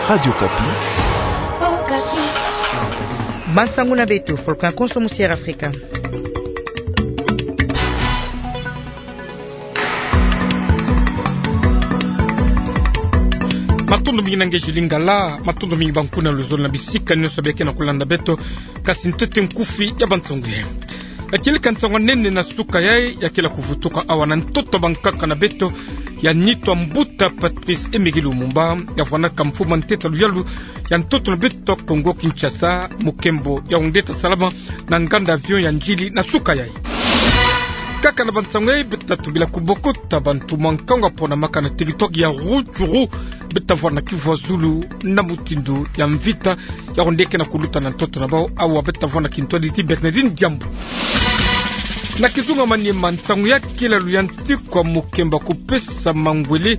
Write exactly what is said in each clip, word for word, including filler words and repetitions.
Radio Okapi. Bansangu na beto, Volcan Konso, Musier Afrika. Matondo mingi na nge Julie Ngala, matondo mingi bankuna luzolo na bisika nyonso beke na kulanda beto, kasi ntete nkufi ya bansangu ye. Ya kieleka nsangu ya nene na suka yayi, ya kele kuvutuka awa na ntoto bankaka na beto, ya nitu ya mbuta Patrice Emery Lumumba, ya vwanaka mfumu ya ntete ya luyalu ya ntoto na beto Kongo Kinshasa, mokembo ya ondeta salama na nganda avion ya Ndjili na suka yayi. Kaka na bansangu yayi, beta tobila kubokota bantu mwa nkangu ya ponamaka na territoire ya Rutshuru, beta vwanda kivwazulu na mutindu ya mvita, ya onde ke na kuluta na ntoto na bau, awa beta vwanda kintwadi ti Bernardine Diambu. Na kizunga Maniema, nsangu ya kele luyantiku ya mokembo ya kupesa mangwele,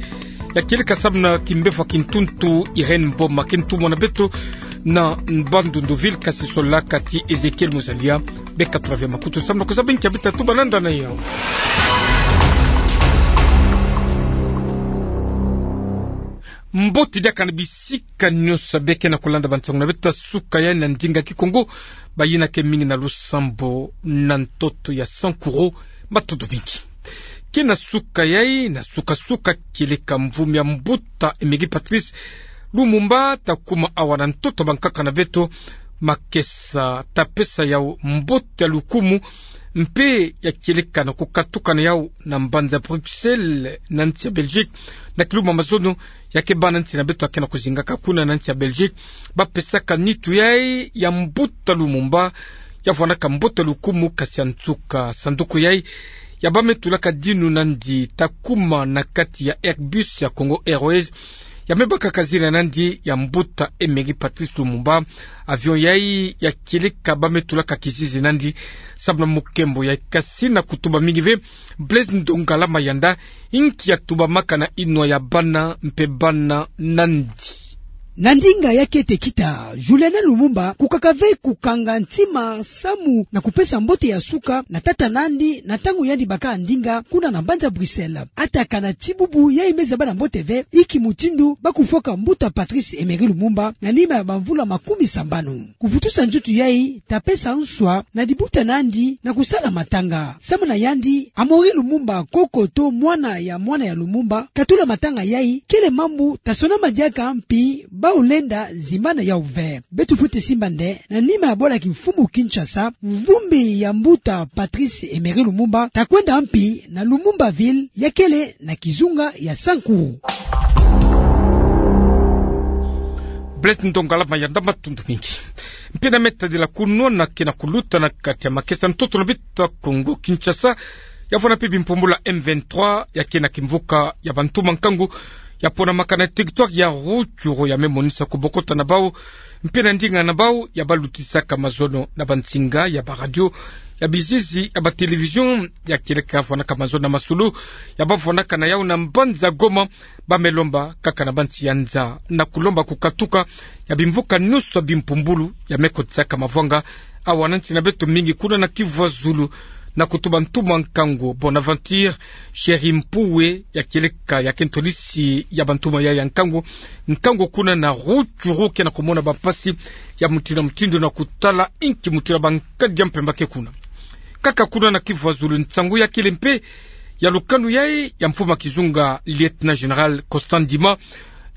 ya kieleka samu na kimbefwa kintuntu Irène Mboma, ke ntumwa na beto na Bandundu-Ville, kasi solaka ti Ezechiel Muzalia. Beka tula ve makutu samu na kuzaba inki ya beta tuba na ndana yawu. Mbote diaka na bisika nyonso beke na kulanda bansangu na beto ya suka yayi na ndinga Kikongo, bayina ke mingi na lusambo na ntoto ya Sankuru, matondo mingi. Ke na suka yayi, na suka-suka, kieleka mvumi ya mbuta Emery Patrice Lumumba ta kuma awa na ntoto bankaka na beto, makesa ta pesa yawu mbote ya lukumu, mpe ya kieleka na kukatuka na yawu na mbanza Bruxelles na nsi ya Belgique, na kilumbu ya mazono ya ke bana nsi na beto ya ke na kuzingaka kuna na nsi ya Belgique, ba pesaka nitu yayi ya mbuta Lumumba, ya vwanaka mbote ya lukumu, kasi ya nsuka sanduku yayi ya ba me tulaka dinu nandi ta kuma na kati ya Airbus ya Congo Airways, ya me bakaka zina nandi ya mbuta Emery Patrice Lumumba. Avion yayi ya kieleka ba me tulaka kizizi nandi samu na mokembo yayi, kasi na kutuba mingi ve, Blaise Ndongala Mayanda, inki ya tubamaka na inwa ya bana mpe bana nandi. Na ndinga ya kete kita, Juliana Lumumba kukaka ve kukanga ntima samu na kupesa mbote ya suka na tata nandi na ntangu yandi baka ndinga kuna na mbanza Bruxelles. Atakana ti bubu yayi me zaba na mbote ve inki mutindu ba kufwaka mbuta Patrice Emery Lumumba na nima ya bamvula makumi sambanu. Kuvutusa nzutu yayi ta pesa nswa na dibuta nandi na kusala matanga. Samu na yandi, Amaury Lumumba, koko to mwana ya mwana ya Lumumba, katula matanga yayi, kele mambu ta sonama diaka mpi bau lenda zimbana yawu ve. Beto fwete simba nde, na nima ya bwala kimfumu Kinshasa, mvumbi ya mbuta Patrice Emery Lumumba ta kwenda mpi na Lumumba-Ville, ya kele na kizunga ya Sankuru. Blaise Ndongala Mayanda, matondo mingi. Mpe na me tadila kunwana ke na kuluta na kati ya makesa, ntoto na beto ya Kongo Kinshasa ya vwanda mpe bimpumbulu ya M vingt-trois, ya ke na kimvuka ya bantu mwa nkangu ya ponamaka na territoire ya Rutshuru, ya me monisa kubokota na bau mpe na ndinga na bau ya ba lutisaka mazono na bansinga ya baradio, ya bizizi, ya batelevision, ya kieleka vwanaka mazono na masolo ya ba vwanaka na yawu na mbanza Goma, ba me lomba kaka na bansi ya nza na kulomba kukatuka ya bimvuka nyonso ya bimpumbulu ya me kotisaka mavwanga awa na nsi na beto, mingi kuna na Kivu ya Zulu, na kutuba ntumwa nkangu Bonaventure Chéri Mpuwe, ya kieleka ya ke ntwadisi ya bantumwa ya, ya nkangu, nkangu kuna na Rutshuru, ke na kumona bampasi ya mutindu na mutindu na kutala inki mutindu ya bankadi ya mpemba ke kuna. Kaka kuna na Kivu ya Zulu, nsangu ya kele mpe ya lukanu yayi ya mfumu ya kizunga, Lieutenant Général Constant Ndima,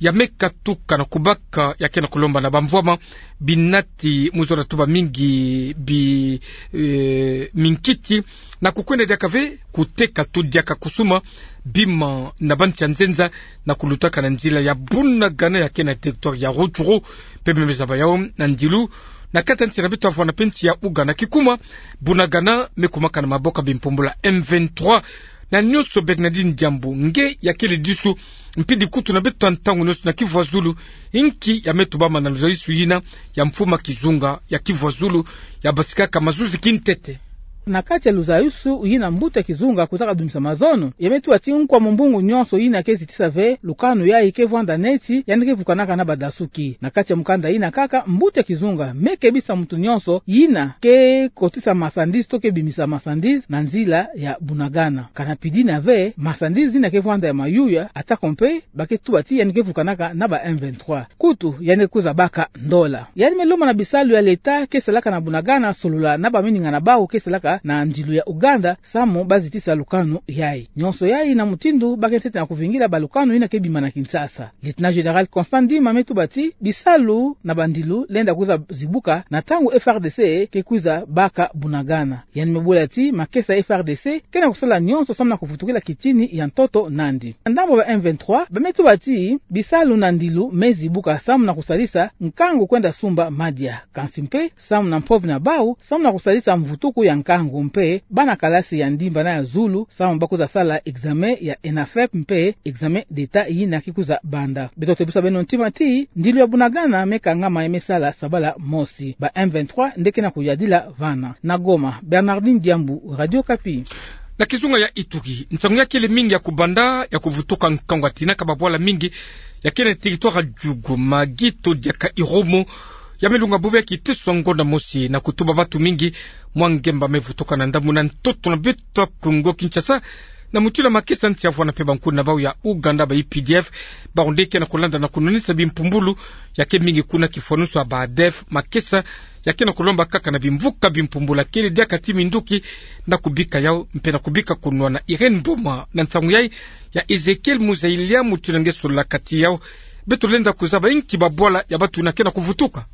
ya me katuka na kubaka, ya ke na kulomba na bamvwama binati, mu zola tuba mingi bi, eh, minkiti, na kukwenda diaka ve kuteka to diaka kusuma bima na bansi ya nzenza, na kulutaka na nzila ya Bunagana ya ke na territoire ya Rutshuru, mpe me zaba yawu na ndilu na kati ya nsi na beto ya vwanda mpe nsi ya Ouganda. Kikuma, Bunagana me kumaka na maboko ya bimpumbulu ya M vingt-trois. Na nyonso, Bernardine Diambu, nge ya kele disu mpe dikutu na beto ya ntangu nyonso na Kivu ya Zulu, inki ya me tubama na luzalisu yina ya mfumu ya kizunga ya Kivu ya Zulu, ya basikaka mazuzi kintete? Na kati ya luzayusu yina mbuta kizunga kwizaka bimisa mazono, ya me tuba ti nkwa mumbungu nyonso yina ke zitisa ve lukanu yayi ke vwanda neti yandi ke vukanaka na badasuki. Na kati ya mukanda yina kaka, mbuta kizunga me kebisa muntu nyonso yina ke kotisa marchandise to ke bimisa marchandise na nzila ya Bunagana. Kana pidina ve, marchandise yina ke vwanda ya mayuya, atako mpe ba ke tuba ti yandi ke vukanaka na ba M vingt-trois. Kutu, yandi kwiza baka ndola. Yandi me lomba na bisalu ya leta ke salaka na Bunagana solola na baminingana bawu ke salaka na ndilu ya Ouganda, samu ba zitisa lukanu yayi. Nyonso yayi na mutindu ba ke ntete na kuvingila balukanu yina ke bima na Kinshasa. Lieutenant Général Constant Ndima me tuba ti bisalu na bandilu lenda kwiza zibuka na ntangu F R D C ke kwiza baka Bunagana. Yandi me bula ti makesa ya F R D C ke na kusala nyonso samu na kuvutukila kitini ya ntoto nandi. Na ndambu ba M vingt-trois, ba me tuba ti bisalu na ndilu me zibuka samu na kusalisa nkangu kwenda sumba madia. Kansi mpe, samu na mpovi na bawu, samu na kusalisa mvutuku ya nkangu mpe bana kalasi ya ndimba na ya zulu, samu ba kwiza sala examen ya ENAFEP mpe examen d'État yina ke kwiza banda. Beto tebisa beno ntima ti, ndilu ya Bunagana me kangama ya me sala sabala mosi. Ba M vingt-trois nde ke na kuyadila vana. Na Goma, Bernardine Diambu, Radio Okapi. Na kizunga ya Ituri, nsangu ya kele mingi ya kubanda ya kuvutuka nkangu ya tinaka babwala mingi ya kele na territoire ya Djugu, Magui to diaka Irumu, ya me lunga bubu ya kiteso ya ngonda mosi na kutuba batu mingi. Mwa ngemba me vutuka na ndambu na ntoto na beto ya Kongo Kinshasa, na mutindu ya makesa nsi ya vwanda mpe bankuna na bawu ya Ouganda, ba U P D F, bawu nde ke na kulanda na kunwanisa bimpumbulu ya ke mingi kuna kifwanusu ya ba ADF, makesa ya ke na kulomba kaka na bimvuka bimpumbulu ya kele diaka ti minduki na kubika yawu mpe na kubika kunwana. Irène Mboma na nsangu yayi ya Ezechiel Muzalia, mutindu nge solola kati yawu. Beto lenda kuzaba inki babwala ya batu yina ke na kuvutuka.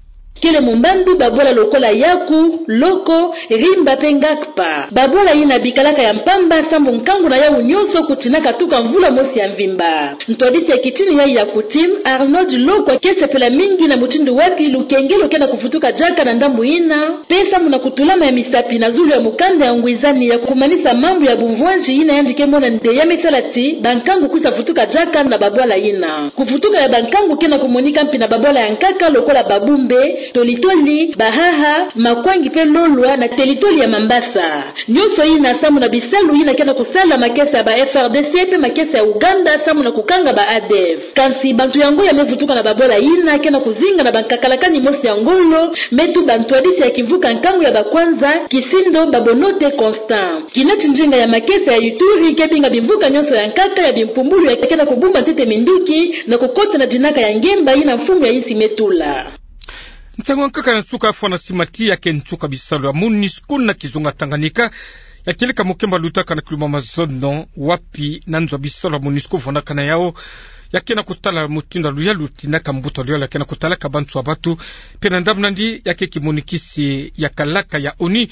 Kele mumbandu babwala lokola Yaku, Loko, Rimba mpe Ngakpa. Babwala yina bikalaka ya mpamba sambu nkangu na yawu nyonso kutinaka tuka mvula mosi ya mvimba. Ntwadisi ya kitini yayi ya kutime, Arnold Lokwa, ke sepela mingi na mutindu wapi lukengelo ke na kuvutuka diaka na ndambu yina, mpe samu na kutulama ya misapi na zulu ya mukanda ya ngwizani ya kumanisa mambu ya bumvwanzi yina yandi ke mona nde ya me sala ti bankangu kwiza vutuka diaka na babwala yina. Kuvutuka ya bankangu ke na kumonika mpi na babwala ya nkaka lokola Babumbe, Tolitoli, Bahaha, Makwangi mpe Lolwa na teritware ya Mambasa. Nyonso yina samu na bisalu yina ke na kusala makesa ya ba F R D C mpe makesa ya Ouganda samu na kukanga ba ADF. Kansi bantu yango ya me vutuka na babwala yina ke na kuzinga na bankakalakani mosi ya ngolo, me tuba ntwadisi ya kimvuka nkangu ya bakwanza, Kisindo Babonote Constant. Kinati ndinga ya makesa ya Ituri ke binga bimvuka nyonso ya nkaka ya bimpumbulu ya ke na kubumba ntete minduki na kukota na dinaka ya ngemba yina mfumu ya insi me tula. Nsangu ya nkaka na nsuka ya fwana sima ti ya ke nsuka bisalu ya MONUSCO na kizunga Tanganyika ya kieleka mukemba lutaka na kiluma mazono wapi na nzo ya bisalu ya MONUSCO vwandaka na yawu. Ya ke na kutala mutindu ya luyalu tinaka mbuta luyalu ya ke na kutalaka bantu ya batu. Mpe na ndambu nandi ya ke kimonikisi ya kalaka ya ONU,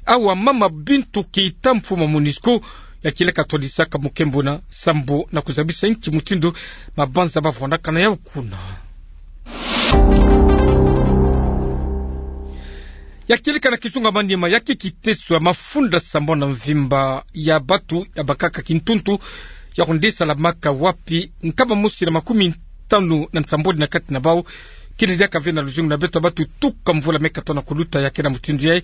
awa Mama Bintou Keita, mfumu ya MONUSCO, ya kieleka twadisaka mukembo na sambu na kuzabisa inki mutindu mabanza mavwandaka na yawu kuna. Ya kieleka na kizunga Maniema, ya ke kiteso ya mafunda sambanu na mvimba ya batu ya bakaka kintuntu ya kunde salamaka wapi nkama mosi na makumi tanu na nsambwadi na kati na bawu kele diaka ve na luzingu na beto ya batu tuka mvula me katono kuluta. Ya ke na mutindu yayi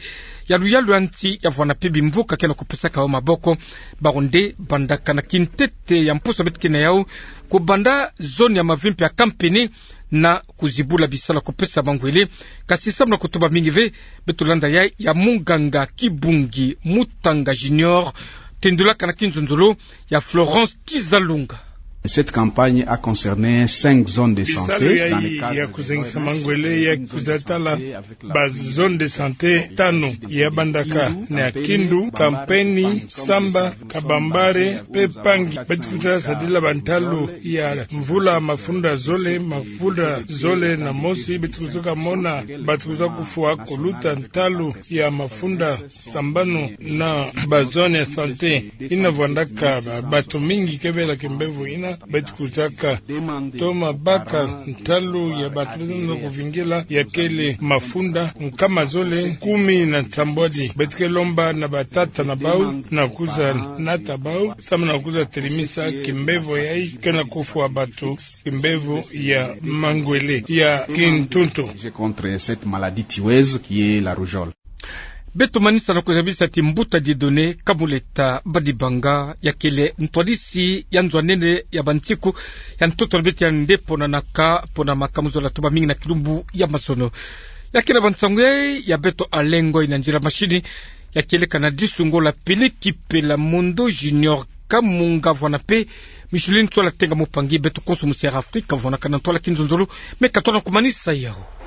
ya luyalu ya nsi ya vwanda mpe bimvuka ke na kupesaka bawu maboko. Bawu nde bandaka na kintete ya mposo beto ke na yawu kubanda zone ya Mavimpi ya Kampene na kuzibula bisalu ya kupesa mangwele. Kasi samu na kutuba mingi ve, beto landa yayi ya munganga Kibungi Mutanga Junior, tendulaka na kinzonzolo ya Florence Kizalunga. Cette campagne a concerné cinq zones de santé. Bisalu yayi ya kuzengisa mangwele ya kwiza tala ba zone de santé tanu, ya bandaka na Kindu, Kampene, Samba, Kabambare mpe Pangi. Beti kwiza sadila ba ntalu ya mvula mafunda zole, mafunda zole na mosi, beti kwiza kamona bati kwiza kufwa kuluta ntalu ya mafunda sambanu na ba zone ya santé. Yina vwandaka ba, batu mingi kebela kimbevo yina, beti kwizaka toma baka ntalu ya batu beti na kuvingila ya kele mafunda nkama zole kumi na nsambwadi. Beti ke lomba na batata na bawu na kwiza nata bawu samu na kwiza telimisa kimbevo yayi ke na kufwa batu, kimbevo ya mangwele ya kintuntu. Contre cette maladie tueuse qui est la rougeole. Beto manisa na ko zabisa ti mbuta Dieudonné Kamuleta Badibanga, ya kele ntwadisi ya nzo a nene ya bansiku ya ntoto na beto ya nde pona na ka pona makamuzola to bamingi na kilumbu ya mazono. Ya kele bansangu ya beto Alain Ngoy na nzila machine, ya kieleka na disu ngolo a Peleki Pelamondo Junior Kamunga, vwanape Micheline Tsoala Tenga Mupangi. Beto konso musi Air Afrique kavwanakana ntwala kinzonzolo, me ka tona kumanisa yawu.